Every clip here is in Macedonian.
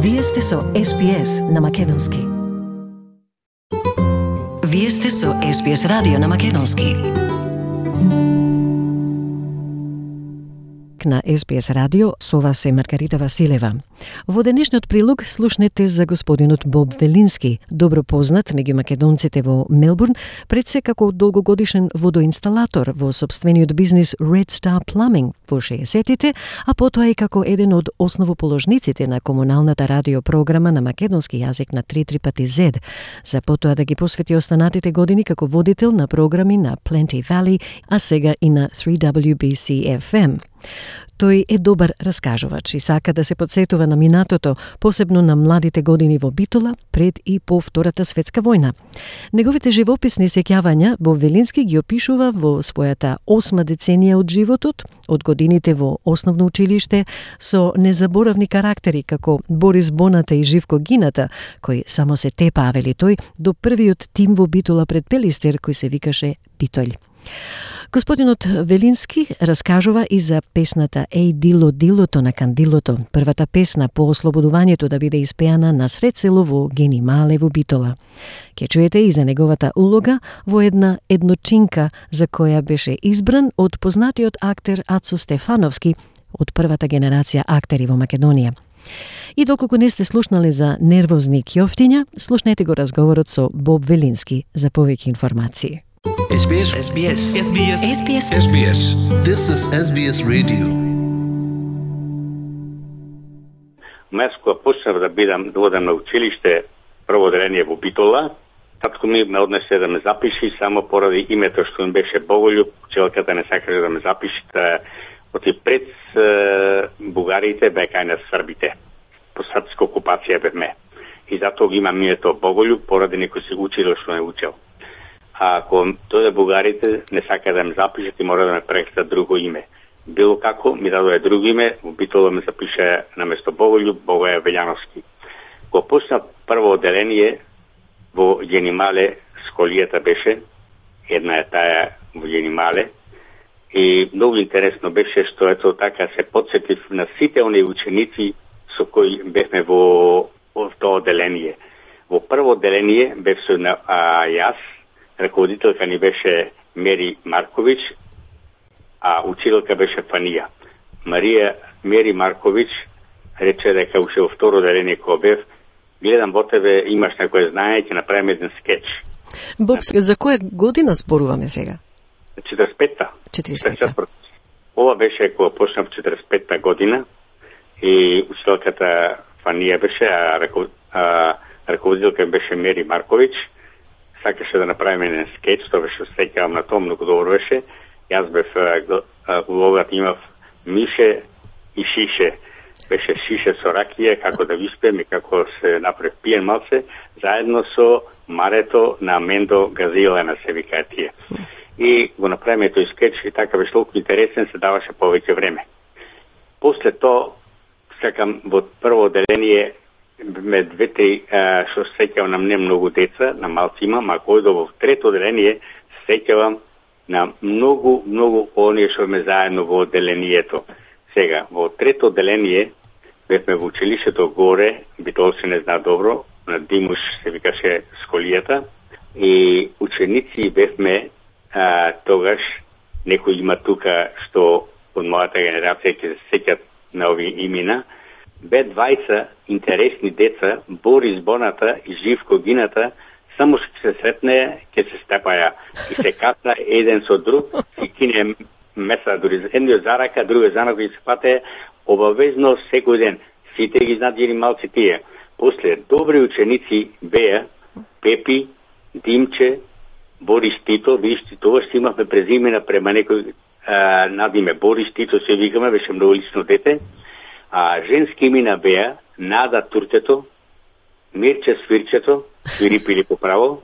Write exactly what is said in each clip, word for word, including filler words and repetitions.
Вие сте со Ес Би Ес на македонски. Вие сте со Ес Би Ес радио на македонски. На Ес Би Ес радио, со вас е Маргарита Василева. Во денешниот прилог слушнете за господинот Боб Велински, добро познат меѓу македонците во Мелбурн, пред се како долгогодишен водоинсталатор во сопствениот бизнис Red Star Plumbing во шеесеттите, а потоа и како еден од основоположниците на комуналната радиопрограма на македонски јазик на три три пати зед, за потоа да ги посвети останатите години како водител на програми на Plenty Valley, а сега и на три дабљу Би Си Еф Ем. Тој е добар раскажувач и сака да се подсетува на минатото, посебно на младите години во Битола, пред и по Втората светска војна. Неговите живописни сеќавања Боб Велински ги опишува во својата осма деценија од животот, од годините во основно училиште, со незаборавни карактери како Борис Боната и Живко Гината, кои само се тепаа, вели тој, до првиот тим во Битола пред Пелистер, кој се викаше Битолј. Господинот Велински раскажува и за песната Еј Дило Дилото на Кандилото, првата песна по ослободувањето да биде испеана на сред село во Генимале во Битола. Ке чуете и за неговата улога во една едночинка за која беше избран од познатиот актер Ацо Стефановски, од првата генерација актери во Македонија. И доколку не сте слушнале за нервозни ќофтиња, слушнете го разговорот со Боб Велински за повеќе информации. Ес Би Ес. Ес Би Ес. Ес Би Ес. Ес Би Ес. Ес Би Ес. This is Ес Би Ес Radio. Мес кога почнав да бидам да одам на училиште прво одделение во Битола, татко ми ме однесе да ме запиши само поради името што ми беше Боголјуб. Учителката не сакаше да ме запиши, да оти пред е, бугарите бе кај на србите. По српска окупација бевме. И затоа ги имам името Боголјуб поради некој си учил што не учел. А ако дојде бугарите, не сака да ме запишат и мора да ме прекратат друго име. Било како, ми дадоа друго име, во Битола ме запише на место Боголјуб, Богоја Велјановски. Кога почна прво одделение во Генимале, школијата беше, една е таа во Генимале, и многу интересно беше што ето така се подсетив на сите оние ученици со кои бевме во, во тоа одделение. Во прво одделение бев со на а, јас, раководителка ни беше Мери Маркович, а учителка беше Фанија. Марија Мери Маркович рече дека уште во второ одделение кога бев, гледам во тебе, имаш некој знание, ќе направиме еден скеч. Боб, за која година зборуваме сега? четиридесет и петта. четиридесет и петта. Ова беше кога почнав четиридесет и петта година и учителката Фанија беше, а, рако, а раководителка беше Мери Маркович. Сакаше да направиме еден скеч, тоа беше сеќавам на тоа, многу добро беше. Јас бев улогата имав мише и шише. Беше шише со ракија, како да виспем и како се направи пиен малце, заедно со марето на Мендо Газилена, се викаа тие. И го направиме тој скеч и така беше толку интересен, се даваше повеќе време. После тоа, сакам во прво одделение ме две-три што сеќавам на не многу деца, на малци имам, а кој во трето одделение сеќавам на многу, многу оние што ме заедно во одделението. Сега, во трето одделение бевме во училиштето горе, Битолци не зна добро, на Димуш се викаше школијата, и ученици бевме а, тогаш, некои има тука што од мојата генерација ќе се сеќат на овие имена, бе двајца интересни деца, Борис Боната и Живко Гината, само што се сретне, ќе се степаја и се касна еден со друг, и кине меса, дури едниот за рака, другиот за нога и се пате обавезно секој ден. Сите ги знаат малци тие. После добри ученици беа Пепи, Димче, Борис Тито, вижте, тоа што имавме презимена према некој а, надиме Борис Тито, се викаме, беше многу лично дете. А женски имена беа Нада Туртето, Мирче Свирчето, свири пили по право,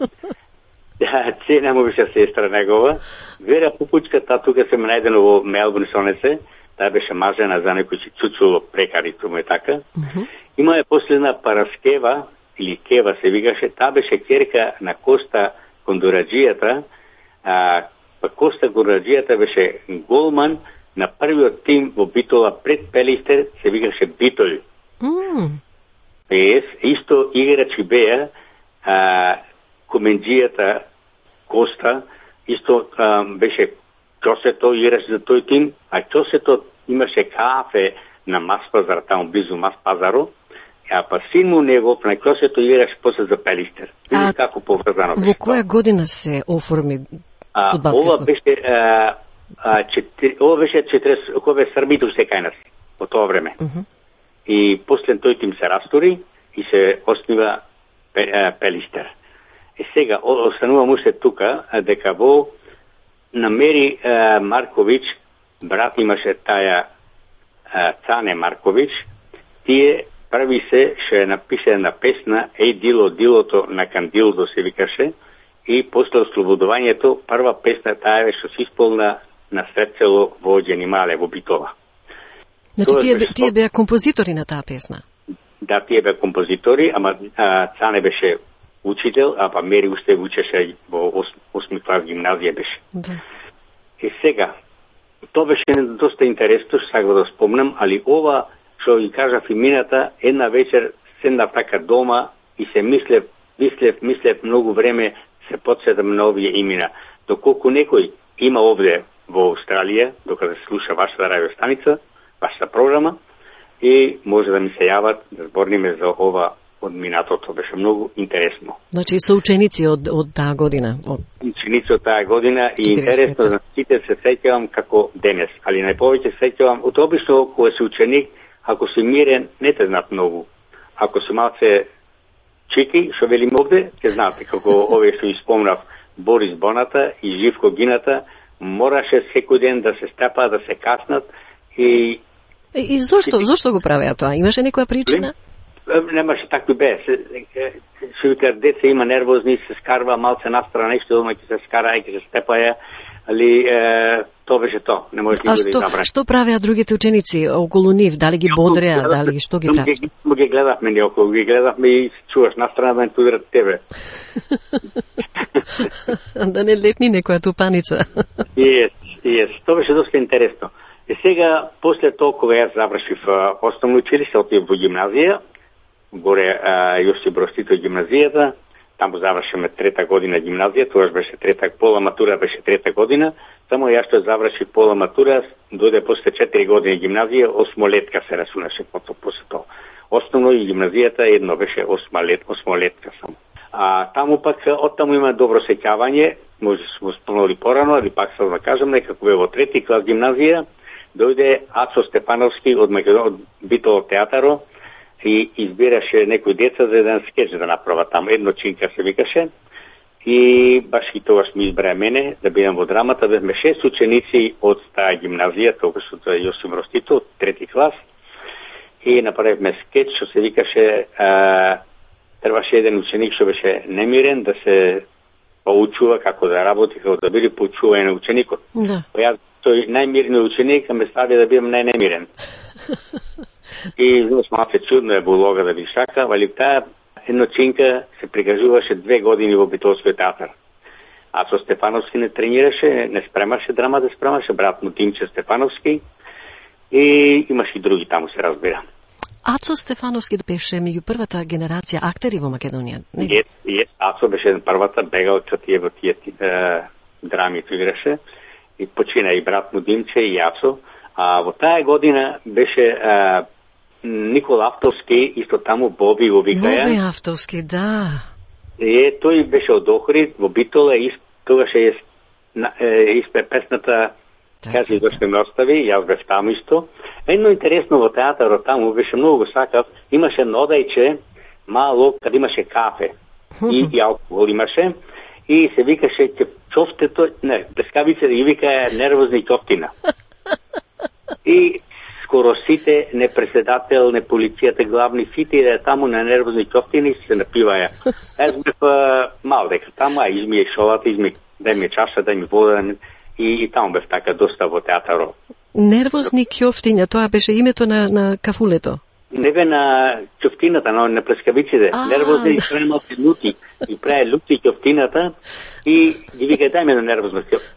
Цена му беше сестра негова, Вера Пупучка, та тука се најдено во Мелбурн сонесе, таа беше мажена за некој си цуцуло прекари, тому е така. Uh-huh. Има е последна Параскева, или Кева се викаше, таа беше ќерка на Коста Кондораджијата, а па Коста Кондораджијата беше голман на првиот тим во Битола пред Пелистер, се викаше Битолј. Mm. Ес, исто играчи беа, а, коменджијата Коста, исто а, беше Ќосето играш за тој тим, а Ќосето имаше кафе на Маспазар, таму близу Маспазаро, а па син му негов на Ќосето играш после за Пелистер. А, како поврзано беше. Во која година се оформи фудбалскиот клуб? Ова беше а, а, четири, ова беше четиресет, кога бе Србито се кај нас во тоа време. Uh -huh. И после тој тим се растори и се оснива Пелистер. И сега останувам уште тука дека во намери а, Марковиќ, брат имаше таја а, Цане Марковиќ, тие прави се ше напише една песна Еј дило дилото на Кандилдо се викаше, и после ослободувањето прва песна таа беше се исполна на сред село во Ѓенимале во Битола. Значи тие, бе, тие беа композитори на таа песна? Да, тие беа композитори, ама а, Цане беше учител, а па Мери уште учеше во осми клас гимназија беше. Да. И сега, тоа беше доста интересно, што сакам да спомнам, али ова, што ги кажав и мината, една вечер седнав така дома и се мислев, мислев, мислев многу време, се подсетам на овие имена. Доколку некој има овде во Австралија, докато се слуша вашата радиостаница, вашата програма, и може да ми се јават да зборниме за ова од минатото. Беше многу интересно. Значи се ученици од, од таа година? Од... Ученици од таа година и интересно за сите се сеќавам како денес, али најповеќе сеќавам, од обично кога си ученик, ако си мирен, не те знаат многу. Ако си малце чики, што велим овде, ќе знаате како овие што испомнав Борис Боната и Живко Гината, мораше секој ден да се стапа, да се каснат и... И, и зошто, зошто го правеа тоа? Имаше некоја причина? Немаше такви бе. Се вика, деца има нервозни, се скарва малце настрана, нешто дома ќе се скара и ќе се степаја, али е, тоа беше тоа. Не може никој да изабране. А што правеа другите ученици околу нив? Дали ги бодреа, дали што ги правеа? Ми ги гледавме ни околу, ги гледавме и се чуваш настрана да не тударат тебе. Да не летни некоја тупаница. Јес, јес. Тоа беше доста интересно. И сега, после тоа, кога јас завршив основно училиште, отидов во гимназија, горе Јосип Брз Тито гимназијата, таму завршиме трета година гимназија, тоа беше трета, пола матура беше трета година, само јас што завршив пола матура, дојде после четири години гимназија, осмолетка се расунаше после тоа. Основно и гимназијата едно беше осмолет, осмолетка само. А таму пак, од таму има добро сеќавање, може сме спомнали порано, али пак сам да кажам, дека кога во трети клас гимназија, дојде Ацо Стефановски од Македон, од Битола театаро, и избираше некои деца за еден скеч да направа таму, едно чинка се викаше, и баш и тогаш ми избра мене да бидам во драмата, бевме шест ученици од таа гимназија, тогаш од Јосип Броз Тито, од трети клас, и направивме скеч, што се викаше, а, требаше еден ученик што беше немирен да се поучува како да работи, како да биде поучување на ученикот. Да. Па јас тој најмирниот ученик ме стави да бидам најнемирен. И знаеш, малце чудно е булога да би шака, али таа едночинка се прикажуваше две години во Битолскиот театар. А со Стефановски не тренираше, не спремаше драма да спремаше, брат му Димче Стефановски, и имаше и други таму се разбира. Ацо Стефановски беше меѓу првата генерација актери во Македонија. Јес, јес, Ацо беше првата, бегал кад тие во тие е, драми играше, и почина и брат му Димче и Ацо. А во таа година беше е, Никола Автовски, исто таму Боби го викаја. Боби Автовски, да. Е, тој беше од Охрид, во Битола, и тогаш е, е испе песната Кажи зашто ме остави, јас бев таму исто. Едно интересно во театарот таму, беше многу го сакав, имаше нодарче, мало, каде имаше кафе и, и алкохол имаше, и се викаше чофтето, не, плескавице да ги викаја нервозни ќофтина. И скоро сите, не председател, не полицијата главни, сите да таму на нервозни ќофтини се напиваја. Аз бев мал дека таму, а изми шолата, изми дај ми чаша, дај ми вода, и, и таму бев така доста во театарот. Нервозни ќофтиња, тоа беше името на, на кафулето? Не бе на ќофтината, но на плескавиците. Нервозни и премалки лути. И прави лути ќофтината и ги вика дај ми на нервозно ќофте.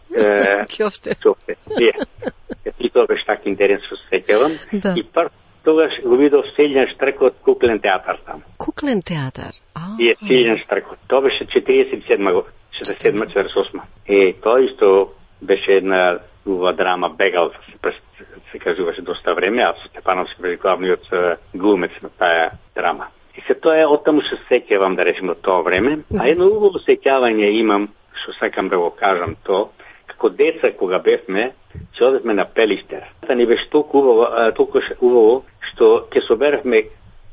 Ќофте. И тоа беше така интересно се сеќавам. Да. И прв тогаш го видов Силјан Штркот куклен театар там. Куклен театар. А. И е Силјан Штркот. Тоа беше четириесет и седма година, четириесет и седма четириесет и осма. И тоа исто беше една убава драма Бегал, се, се кажуваше доста време, а Степановски беше главниот глумец на таа драма. И се тоа е, оттаму се сеќавам да речем од тоа време, а едно убаво сеќавање имам, што сакам да го кажам тоа, како деца кога бевме, ќе одевме на Пелиштер. Та ни беше толку убаво, толку убаво што ќе соберевме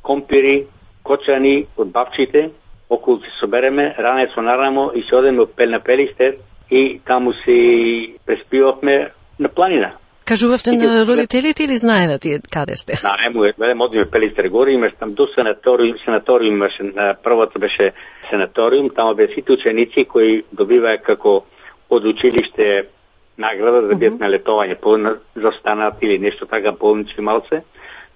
компири, кочани од бабчите, околу ќе собереме ранец на рамо и ќе одеме на Пелиштер и таму си преспивавме на планина. Кажувавте на родителите или знаете каде сте? Знаемо, велем одиме Пелиштер горе, имаш там до санаториум, санаториум имаше, првото беше санаториум, таму беа сите ученици кои добиваа како од училиште награда за биат на летовање, застанат или нешто така, болнички малце,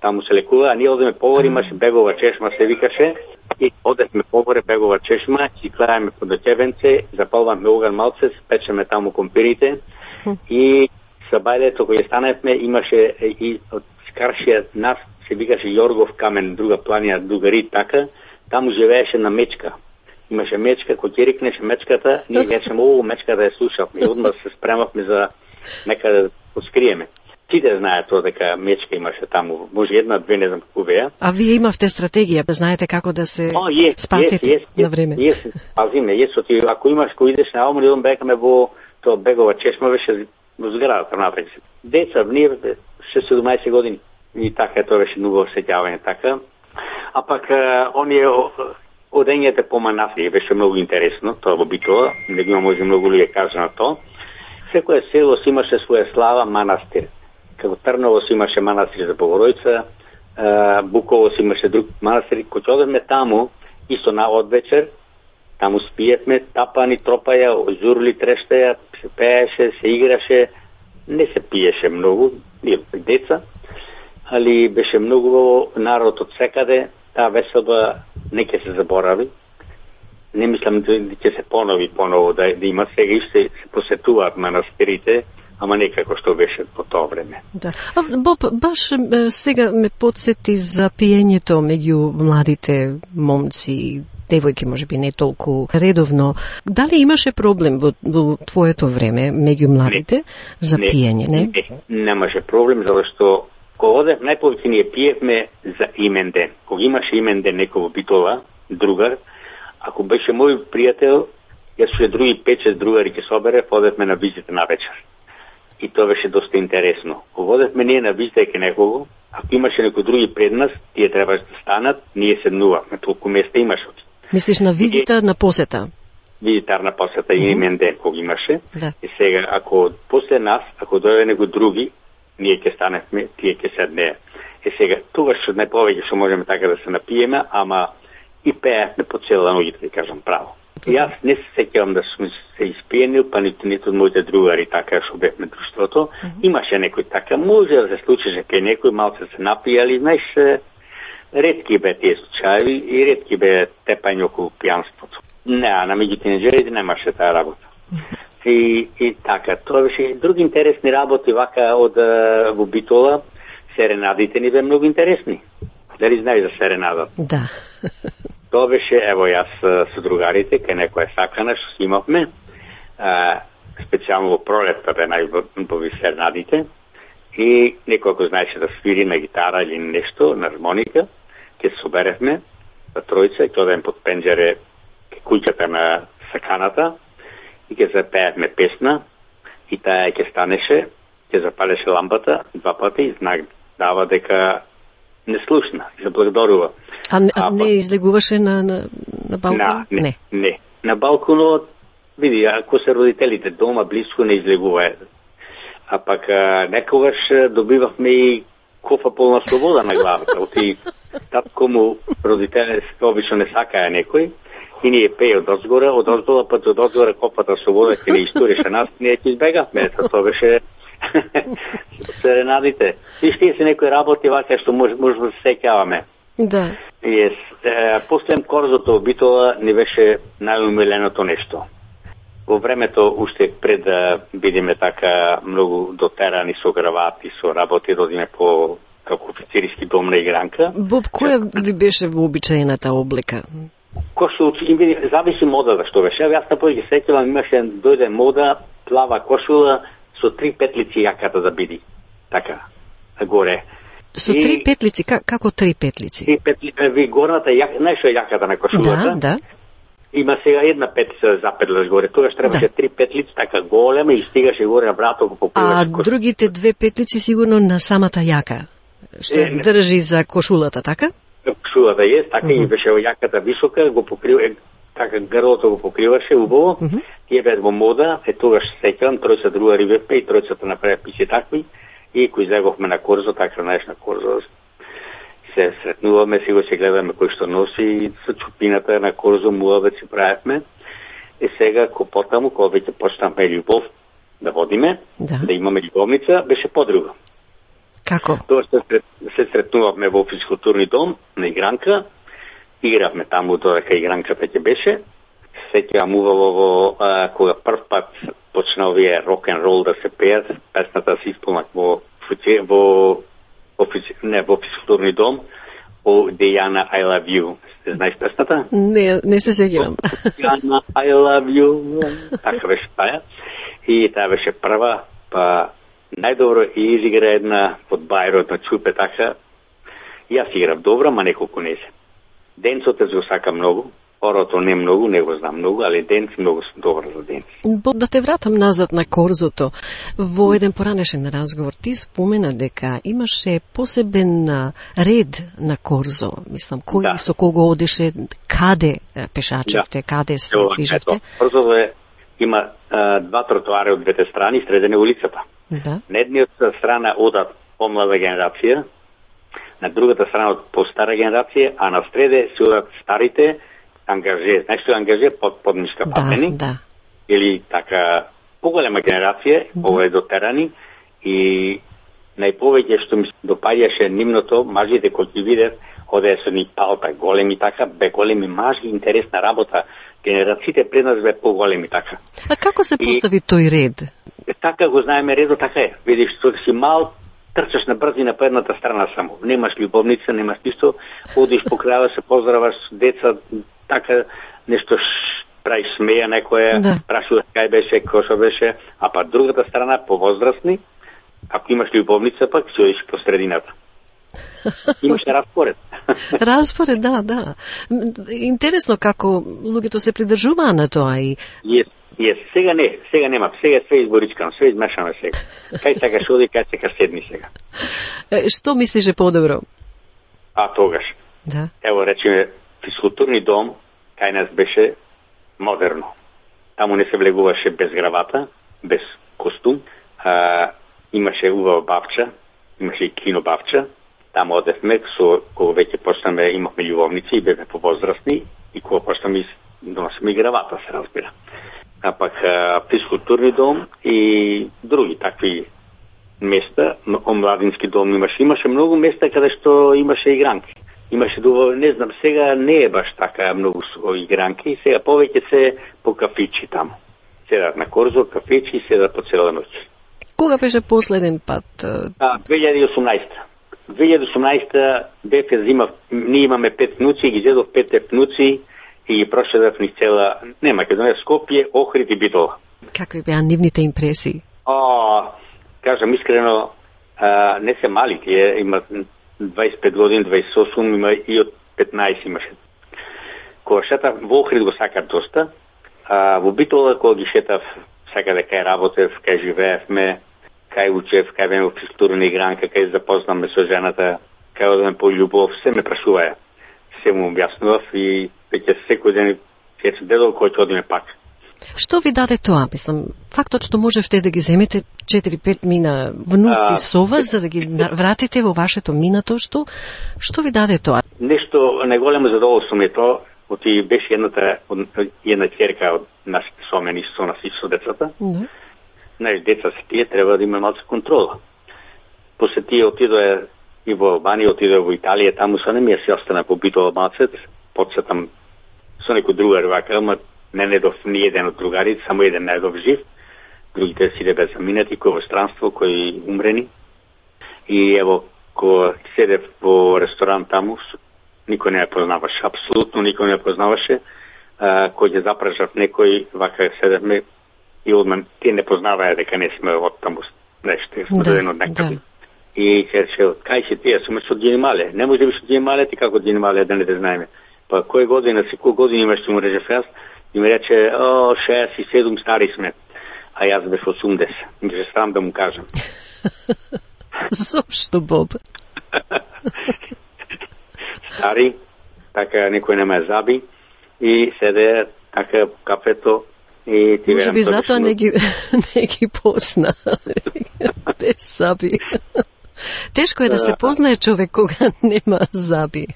таму се лекува, а ние одеме погоре, имаше бегова чешма, се викаше, и одевме погоре бегова чешма, и клајаме по Дочевенце, запалваме оган малце, спечеме таму компирите, и са бајлето кој станевме, имаше и од Скаршија нас, се викаше Јоргов камен, друга планина, другари така, таму живееше на мечка. Имаше мечка, кој ќе рикнеше мечката, ние речеме, о, мечката ја слушавме, и одма се спремавме за некаде да откриеме. Сите знаат тоа дека мечка имаше таму, може една, две, не знам како беа. А вие имавте стратегија, знаете како да се О, yes, спасите yes, yes, на време? Јес, пазиме, јес, оти, ако имаш кој идеш на Алмар, идем бекаме во тоа бегова чешма, беше во зградата напред. Деца, ние шеснаесет години. И така, тоа беше многу осеќавање така. А пак, оние одењето по манастири беше многу интересно, тоа во Битола, не го има може многу луѓе кажа на тоа. Секое село си имаше своја слава манастир. Како Трново си имаше манастир за Богородица, Буково си имаше друг манастир. Кога одевме таму, исто на одвечер, таму спиевме, тапани, тропаја, зурли, трештаја, се пееше, се играше, не се пиеше многу, ние деца, али беше многу народ од секаде, таа веселба не ќе се заборави. Не мислам да ќе се понови поново, да, да има сега и се, се посетуваат манастирите, ама некако што беше по тоа време. Да. А, Боб, баш сега ме подсети за пиењето меѓу младите момци, девојки може би не толку редовно. Дали имаше проблем во, во твоето време меѓу младите не, за не, пиење, не? Не, немаше проблем, зашто кога одев најповеќе ние пиевме за имен ден. Кога имаше имен ден некој во Битола, другар, ако беше мој пријател, јас ше други пет-шест другари ќе собере, одевме на визита на вечер. И тоа беше доста интересно. Кога одевме ние на визита ке некого, ако имаше некој други пред нас, тие требаше да станат, ние седнувавме, толку места имаше. Мислиш на визита, и, на посета? Визитарна посета и имен ден кога имаше. Да. И сега, ако после нас, ако дојде некој други, ние ќе станевме, тие ќе седнеа. И сега, тогаш што најповеќе што можеме така да се напиеме, ама и пеевме по цела ноќ, да кажам право. И јас не се сеќавам да сум се испиенил, па ниту ниту од моите другари така што бевме друштвото. Uh -huh. Имаше некој така, може да се случише кај некој малце се напијали, знаеш, ретки бе тие случаи и ретки бе тепање околу пијанството. Не, а на меѓу тинеџерите немаше таа работа. И, и така, тоа беше други интересни работи вака од во Битола. Серенадите ни бе многу интересни. Дали знаеш за серенадата? Да. Тоа беше, ево јас со другарите, кај некоја сакана што имавме, а, специјално во пролетта бе најубави серенадите, и некој ако знаеше да свири на гитара или нешто, на хармоника, ќе се соберевме за тројца и ќе одем под пенџере кај куќата на саканата и ќе запеевме песна и таа ќе станеше, ќе запалеше лампата два пати и знак дава дека не слушна и заблагодарува. А, а не излегуваше на, на, на балкон? На, не, не, не. На балконот, види, ако се родителите дома близко не излегува. А пак а, некогаш добивавме и кофа полна слобода на главата. Оти татко му родителите обично не сакаја некој и ние пее од озгора, од озгора пат од озгора кофата слобода ќе не истореше нас, ние ќе избегавме. Тоа беше серенадите. И ще се некои работи вака што може, може да се сеќаваме. Да. Yes. Е, после корзото во Битола не беше најумиленото нешто. Во времето, уште пред да бидеме така многу дотерани со гравати, со работи, да одиме по како офицерски дом на игранка. Боб, која ви беше вообичаената облека? Кошул, зависи модата што беше. Јас на повеќе сеќавам, имаше дојде мода, плава кошула со три петлици јаката да биде. Така, горе. Со и... три петлици? Как, како три петлици? Три петлици, ви горната јака, знаеш што е јаката на кошулата? Да, да. Има сега една петлица да запетлаш горе. Тогаш требаше да. три петлици, така голема и стигаше горе на врато го покриваш. А кошул. Другите две петлици сигурно на самата јака, што е, држи за кошулата, така? Кошулата е, така uh-huh. и беше јаката висока, го покрива, така грлото го покриваше убаво. Uh-huh. Тие бе во мода, е тогаш сеќавам, тројца другари бевме и тројцата направи писи такви и кои излеговме на корзо, така знаеш на корзо. Се сретнуваме, си го се гледаме кој што носи со чупината на корзо, муавет си правевме. И сега, ко потаму, кога веќе почнавме љубов да водиме, да, да имаме љубовница, беше подруга. Како? Тоа се, се сретнувавме во физкултурни дом на игранка, игравме таму додека игранката ќе беше. Сеќавам убаво во а, кога прв пат почна овие рок-н-рол да се пеат, песната се исполнат во во Офици... не, во физкултурни дом, о Дејана I Love You. Знаеш песната? Не, не се сеќавам. Дејана I Love You. Така беше таа. И таа беше прва, па најдобро и изигра една под бајрот на чупе така. Јас играв добро, ма неколку не се. Денцот го сака многу. Орото не многу, не го знам многу, али денц многу сум добар за денц. Да те вратам назад на корзото. Во еден поранешен разговор ти спомена дека имаше посебен ред на корзо. Мислам, кој да. Со кого одеше, каде пешачевте, да. Каде се движевте? Корзото е, има а, два тротоари од двете страни, средене улицата. Да. На едниот страна одат помлада генерација, на другата страна од постара генерација, а на среде се одат старите ангаже, знаеш што е ангаже под поднишка патени, да, да. Или така поголема генерација, да. Ова е дотерани и најповеќе што ми допаѓаше нивното, мажите кои ги видев, одеа со ни палта големи така, бе големи мажи, интересна работа. Генерациите пред нас бе поголеми така. А како се постави и, тој ред? Така го знаеме редо, така е. Видиш, што си мал, трчаш на брзина по едната страна само. Немаш љубовница, немаш ништо, одиш по крајот, се поздраваш деца, така нешто правиш смеја некоја, да. Прашуваш кај беше, кој што беше, а па другата страна повозрастни, ако имаш љубовница пак ќе одиш по средината. Имаш распоред. Распоред, да, да. Интересно како луѓето се придржуваа на тоа и Јес, јес, сега не, сега нема, сега све изборичкано, све измешано сега. Кај сакаш оди, кај сакаш седни сега. Што мислиш е подобро? А тогаш. Да. Ево речеме физкултурни дом кај нас беше модерно. Таму не се влегуваше без гравата, без костум. А, имаше убава бавча, имаше и кино бавча. Таму одевме, со кога веќе почнаме, имавме љубовници и бевме повозрастни и кога почнаме доносиме и гравата, се разбира. А пак а, физкултурни дом и други такви места, омладински дом имаше. Имаше многу места каде што имаше игранки. Имаше дуго, не знам, сега не е баш така многу игранки, сега повеќе се по кафичи таму. Седат на корзо, кафичи и седат по цела ноќ. Кога беше последен пат? А, две илјади и осумнаесета. две илјади и осумнаесета бефе зима, ние имаме пет внуци, ги зедов петте внуци и ги прошедав ни цела, не Македонија, Скопје, Охрид и Битола. Какви беа нивните импресии? О, кажам искрено, а, не се мали, тие имат дваесет и пет години, дваесет и осум, има и од петнаесет имаше. Кога шетав, во Охрид го сакат доста, а во Битола, кога ги шетав, сакаде кај работев, кај живеевме, кај учев, кај беме во физкултурна игранка, кај запознаме со жената, кај одеме по љубов, се ме прашуваја. Се му објаснував и веќе секој ден ќе се дедол кој ќе одиме пак. Што ви даде тоа? Мислам, фактот што можевте да ги земете четири-пет мина внуци а, со вас, за да ги вратите во вашето минато, што, што ви даде тоа? Нешто најголемо задоволство ми е тоа, оти беше едната, една ќерка од нашите сомени со нас и со децата. Mm-hmm. Знаеш, деца се тие, треба да има малку контрола. После тие отидоа и во Албанија, отидоа во Италија, таму со немија се остана по Битола малцет, подсетам со некој другар вака, ама не недов ни еден од другарите, само еден недов жив, другите си беа заминати, кој во странство, кои умрени. И ево, Ко седев во ресторан таму, никој не ја познаваше, апсолутно никој не ја познаваше. А, кој ќе запрашав некој, вака седевме и одман те не познаваја дека не сме од таму нешто, сме да, даден од некаде. да. И ќе рече, кај си ти, јас сум од Генемале. Не може да биш од Генемале, ти како од Генемале да не те знаеме. Па кој година, си кој година имаш, ти му речев јас, и ми рече, о, шеесет и седум стари сме. А јас беше осумдесет. Ми беше срам да му кажам. Зошто, Боб? Стари, така некој не ме заби и седе така кафето и ти Може би затоа не ги, не ги позна. Без заби. Тешко е да се познае човек кога нема заби.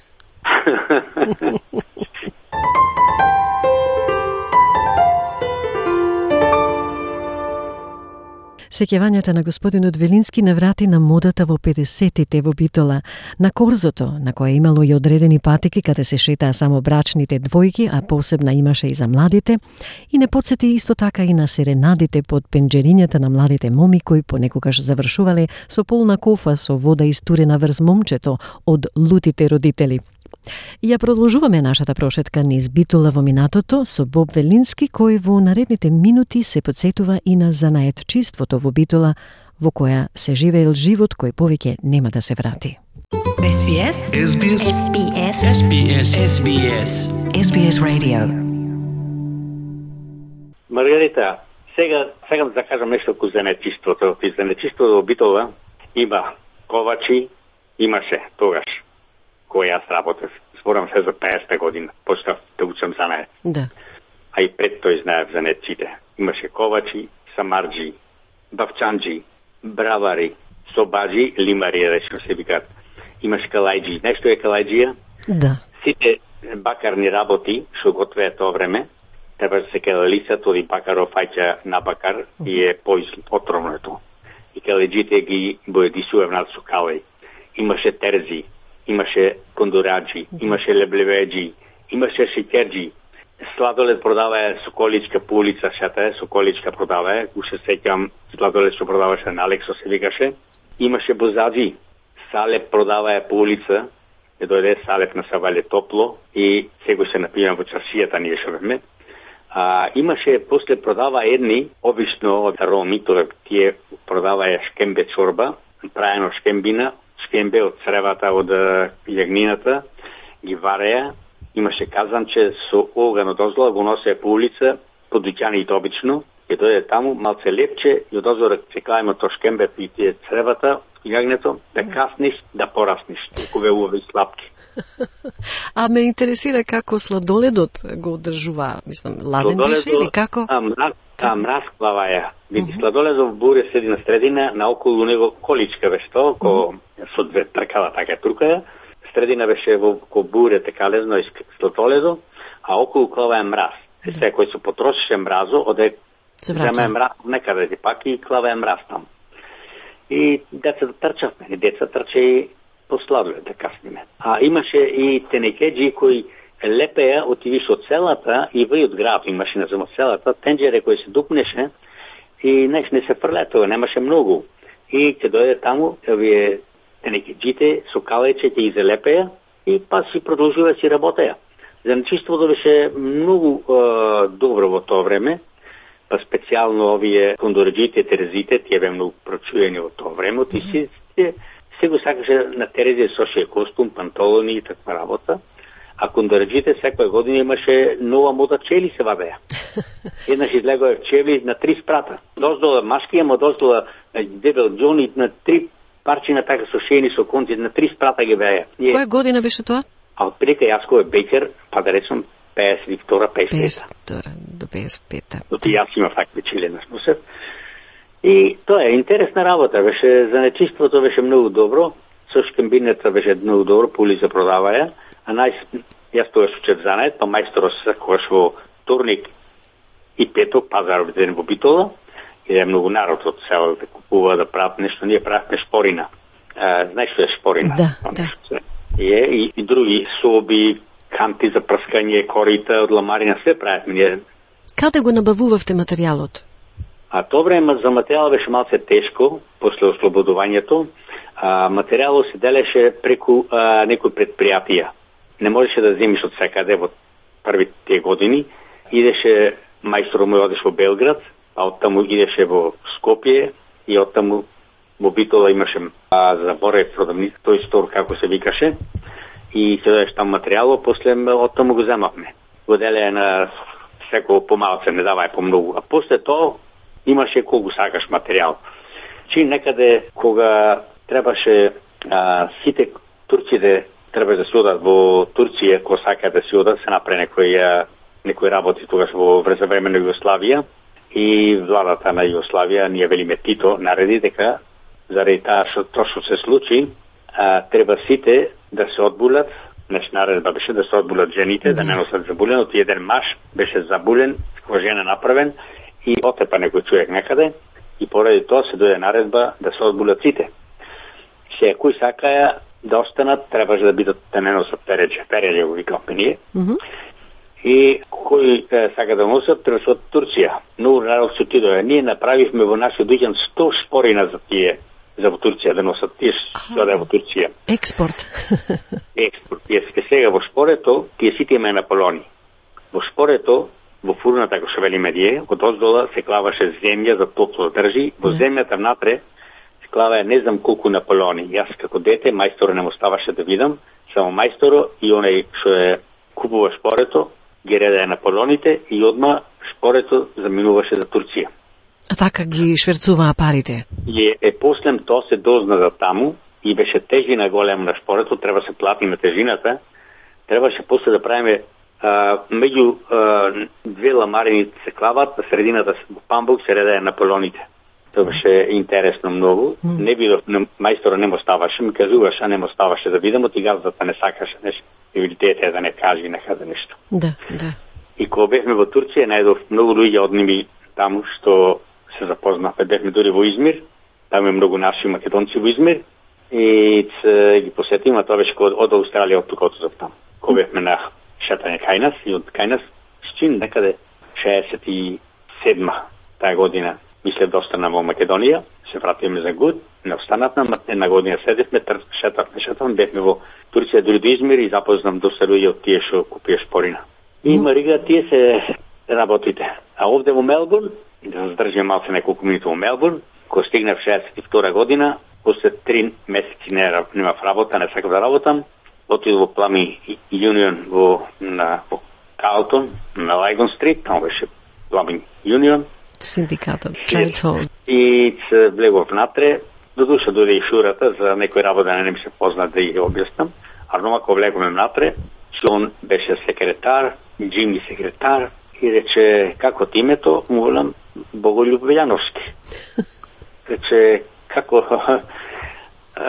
Сеќавањата на господинот Велински наврати на модата во педесетите во Битола, на корзото, на кое имало и одредени патеки каде се шетаа само брачните двојки, а посебна имаше и за младите, и не подсети исто така и на серенадите под пенџерињата на младите моми кои понекогаш завршувале со полна кофа со вода истурена врз момчето од лутите родители. И ја продолжуваме нашата прошетка низ Битола во минатото со Боб Велински, кој во наредните минути се подсетува и на занаетчиството во Битола, во која се живеел живот кој повеќе нема да се врати. Ес Би Ес. Ес Би Ес. Ес Би Ес. Ес Би Ес. Ес Би Ес. Ес Би Ес Radio. Маргарита, сега сакам да кажам нешто ко занаетчиството. И занаетчиството во Битола има ковачи, имаше тогаш кој јас работев. Зборам се за пеесета година, почнав да учам занае. Да. А и пред тој знаев занаетчите. Имаше ковачи, самарджи, бавчанджи, бравари, собаджи, лимари, речено се викаат. Имаше калајджи. Нешто е калајджија? Да. Сите бакарни работи, што готвеа тоа време, треба да се каде лицето и бакаров фаќа на бакар и е поотровно тоа. И калајджите ги боедисува внат со калај. Имаше терзи, имаше кондураджи, имаше леблеведжи, имаше шеќерджи. Сладолед продавае Соколичка по улица Шата, Соколичка продавае, уште сеќам сладолед што продаваше на Алексо се викаше. Имаше бозаджи, салеп продавае по улица, е дојде салеп на Савале топло и сега се напијам во чаршијата ние што бевме. А, имаше после продава едни, обично од роми, тоа тие продавае шкембе чорба, праено шкембина, шкембе од цревата од јагнината, ги вареа, имаше казанче со оган од озла, го носеа по улица, по дуќаните обично, и дојде таму, малце лепче, и од озора чекајме то шкембе и тие цревата, јагнето, да касниш, да порасниш, толку убави слапки. А ме интересира како сладоледот го одржува, мислам, ладен беше или како? А, мраз, а, мразклава ја. Види, сладоледов буре седи на средина, наоколу него количка беше тоа, ко со две тркала, така трукаја. Средина беше во ко буре така лезно и сладоледо, а околу клава е мраз. Се се кој се потрошеше мразо, оде земе мраз некаде и пак и клава е мраз там. И децата трчавме, и деца трче и по сладолед да касниме. А имаше и тенекеджи кои лепеја отивиш од селата и вај од град, имаше на зема селата, тенџере кој се дупнеше и неш не се фрлетува, немаше многу. И ќе дојде таму, овие тенекеджите со калече ќе изелепеја и па си продолжува си работеја. Занаетчиството беше многу е, добро во тоа време, па специјално овие кондорџите, терезите, тие бе многу прочуени во тоа време, и си се го сакаше на терезе со ше костум, панталони и таква работа. А кондорџите секоја година имаше нова мода чели се вадеа. Еднаш излегоа чели на три спрата. Доздола машки, ама доздола дебел џони на три парчина така со шени со конци, на три спрата ги беа. Која година беше тоа? А од прека јас кој е бекер, па да речем пеесет и втора, пеесет и пета. пеесет и втора до пеесет и пета. Доти јас имав такви чили на сносев. И тоа е интересна работа, беше занаетчиството беше многу добро, со шкембината беше многу добро, пули се продаваја, а нај јас тоа учев занает, па мајсторот се кош во вторник и петок пазар ден во Битола, и е многу народ од село да купува да прават нешто, ние правевме шпорина. А, знаеш што е шпорина? Да, да. И, и, и други соби, канти за прскање, корита од ламарина, се правевме ние. Каде го набавувавте материјалот? А тоа време за материјал беше малце тешко, после ослободувањето, а, материјалот се делеше преку а, некои предпријатија. Не можеше да земиш од секаде во првите години. Идеше мајстор мој одеше во Белград, а оттаму идеше во Скопје и оттаму во Битола имаше а, заборев продавница, тој стор како се викаше, и се дадеш там материјалот, после оттаму го земавме. Го делеја на секој помалце, не давај помногу. А после тоа имаше колку сакаш материјал. Чи некаде кога требаше а, сите турците треба да се одат во Турција, кога сака да се одат, се направи некои некои работи тогаш во време на Југославија и владата на Југославија ние велиме Тито нареди дека заради таа што тоа што се случи, а, треба сите да се одбулат. Неш наредба беше да се одбулат жените, mm-hmm. да не носат забулен, од еден маж беше забулен, која жена направен и отепа некој човек некаде и поради тоа се дојде наредба да се одбулат сите. Се кои сакаја да останат, требаше да бидат да не носат переđe, переđe го викавме ние. Mm-hmm. И кои е, сака да носат, треба се од Турција. Многу народ се отидоа. Ние направивме во нашиот дуќан сто шпорина за тие, за во Турција да носат тие што да е во Турција. Експорт. Експорт. Јеске сега во шпорето, тие сите имаја на полони. Во шпорето, во фурната, како што велиме ние, од оздола се клаваше земја за топло да држи. Во земјата внатре се клаваја не знам колку на полони. Јас како дете, мајсторо не му ставаше да видам, само мајсторо и оној што е купува шпорето, ги редаја на полоните и одма шпорето заминуваше за Турција. А така ги шверцуваа парите? И е, послем тоа се дозна за таму и беше тежина голема на шпорето, треба се плати на тежината, требаше после да правиме а, меѓу а, две ламарини се клават, на средината во памбук се редаја на полоните. Тоа беше интересно многу. Mm. Не видов, мајстора не му ставаше, ми кажуваше, а не му ставаше да видам, ти газдата не сакаше нешто. И видите да не кажи некаде нешто. Да, да. И кога бевме во Турција, најдов многу луѓе од ними таму што се запознавме. Бевме дури во Измир, таму е многу наши македонци во Измир и ц, ги посетиме, тоа беше од, од Австралија, од тук отзов таму. Кога бевме на шетање кај нас и од кај нас, чин некаде шеесет и седма таа година, мисле да останам во Македонија, се вратиме за год, не останатме, една година седевме, шетавме, шетавме, бевме во Турција дури до Измир и запознам доста луѓе од тие што купија шпорина. И Марига, тие се работите. А овде во Мелбурн, да се задржим малце неколку минути во Мелбурн, кога стигнав шеесет и втора година, после три месеци не немав работа, не сакав да работам, отидов во Плами Юнион во на во Калтон, на Лайгон стрит, таму беше Плами Юнион. Синдикатот, Трейдс. И се влегов внатре, до душа дојде и шурата за некој работа, не ми се познат да ја објаснам, а дома кога влеговме внатре, он беше секретар, Джими секретар, и рече, како ти името? Му велам, Боголюб Велјановски. Рече, како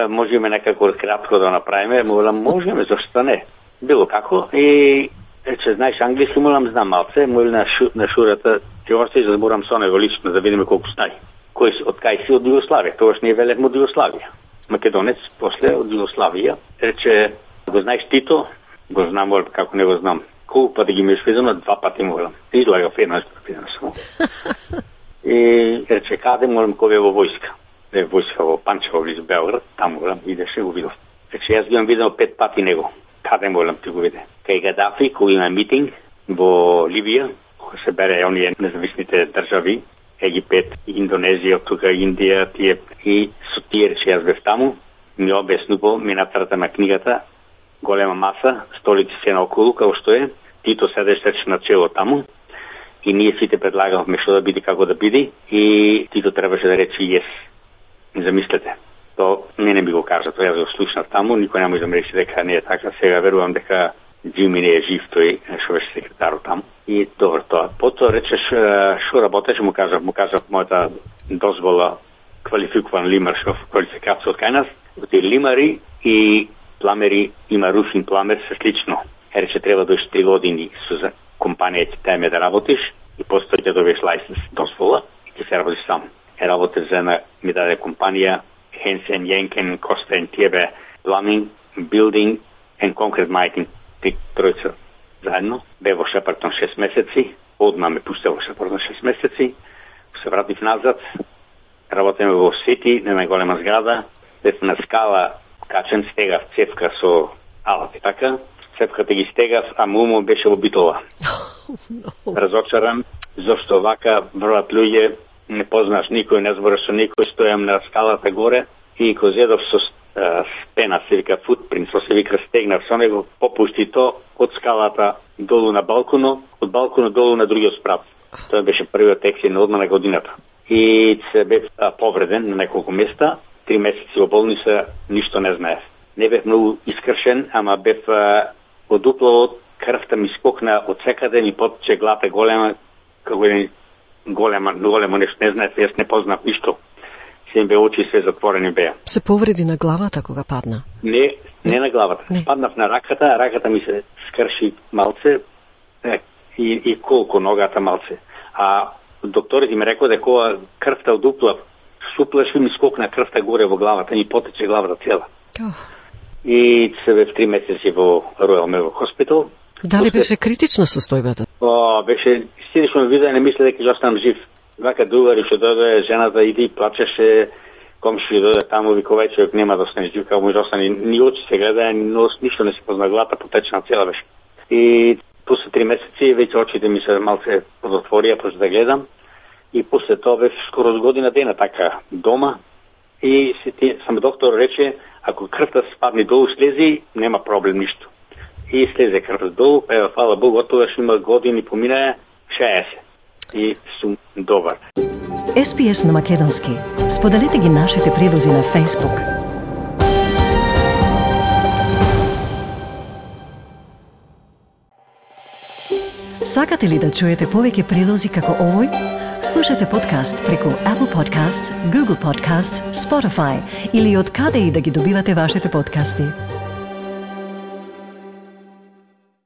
можеме некако кратко да направиме? Му велам, можеме, зашто не? Било како. И рече, знаеш англиски? Му велам, знам малце. Му велам на, шу, на шурата, ти още да зборам со него лично, да видиме колку знај. Кој од кај си? Од Југославија. Тогаш ние велевме од Југославија. Македонец, после од Југославија. Рече, го знаеш Тито? Го знам, како не го знам. Колку пати ги ми сведено, два пати му велам. Излагав една стопина само. И рече, каде молам кој е во војска? Е војска во Панчево, близу Белград, таму велам, идеше го видов. Рече, јас ги имам видено пет пати него. Каде молам ти го виде? Кај Гадафи, кога има митинг во Ливија, кога се бере оние независните држави, Египет, Индонезија, тука Индија, тие и со тие рече, јас бев таму, ми објаснувал минатарата на книгата, голема маса, столици се наоколу, како што е, Тито седеше на чело таму, и ние сите предлагавме што да биде, како да биде, и Тито требаше да рече јес. Замислете. То не не би го кажа, тоа јас го слушнав таму, никој не може да ме рече дека не е така, сега верувам дека Джими не е жив, тој што беше секретар таму. И добро тоа. Потоа речеш што работеше, му кажав, му кажав мојата дозвола квалификуван лимаршов квалификација од кај нас, од лимари и пламери, има руфин пламер, се слично. Рече, треба дојш три години со за компанија ќе тајме да работиш и постои ќе добиеш лајсенс, дозвола и ќе се работиш сам. Е работев за една, ми даде компанија Хенсен, Јенкен, Костен, Тиебе, Plumbing, Building and Concrete Making, три тројца заедно. Бе во Шепартон шест месеци, одма ме пусте во Шепартон шест месеци, се вратив назад, работеме во Сити, на најголема зграда, бев на скала, качен, стегав цевка со алати, така? Цевката ги стегав, а мумо беше во Битола. Разочаран, зашто вака бројат луѓе, не познаш никој, не збораш со никој, стојам на скалата горе и го зедов со а, спена, се вика футпринт, со се вика стегнав со него, попушти то од скалата долу на балконот, од балконот долу на другиот спрат. Тоа беше првиот ексидент одма на годината. И се бев а, повреден на неколку места, три месеци во болница, ништо не знаев. Не бев многу искршен, ама бев а, од уплавот, крвта ми скокна од секаде, ми потече глата голема, како еден голема, големо нешто, не знаев, јас не познав ништо. Се бе очи све затворени беа. Се повреди на главата кога падна? Не, не на главата. Не. Паднав на раката, раката ми се скрши малце е, и, и колку ногата малце. А докторите ми рекоа дека кога крвта од уплав суплеши ми скокна крвта горе во главата, ми потече главата цела. Oh. И се бе в три месеци во Royal Melbourne Hospital. Дали После... беше критична состојбата? О, беше синично видео, не мисля дека ќе останам жив. Вака другари што дојде, жената иди плачеше, комши дојде таму, вика овој човек нема да остане жив, како може да остане, ни очи се гледа, ни нос, ништо не се позна, глата потечена цела беше. И после три месеци веќе очите ми се малце подотворија, почна да гледам. И после тоа бев скоро година дена така дома. И сам доктор рече, ако крвта спадне долу слези, нема проблем ништо. И слезе крвта долу, ева, фала Богу, отогаш има години поминаа, шеесет. И сум добар. Ес Би Ес на македонски. Споделете ги нашите прилози на Facebook. Сакате ли да чуете повеќе прилози како овој? Слушате подкаст преку Apple Podcasts, Google Podcasts, Spotify или од каде и да ги добивате вашите подкасти.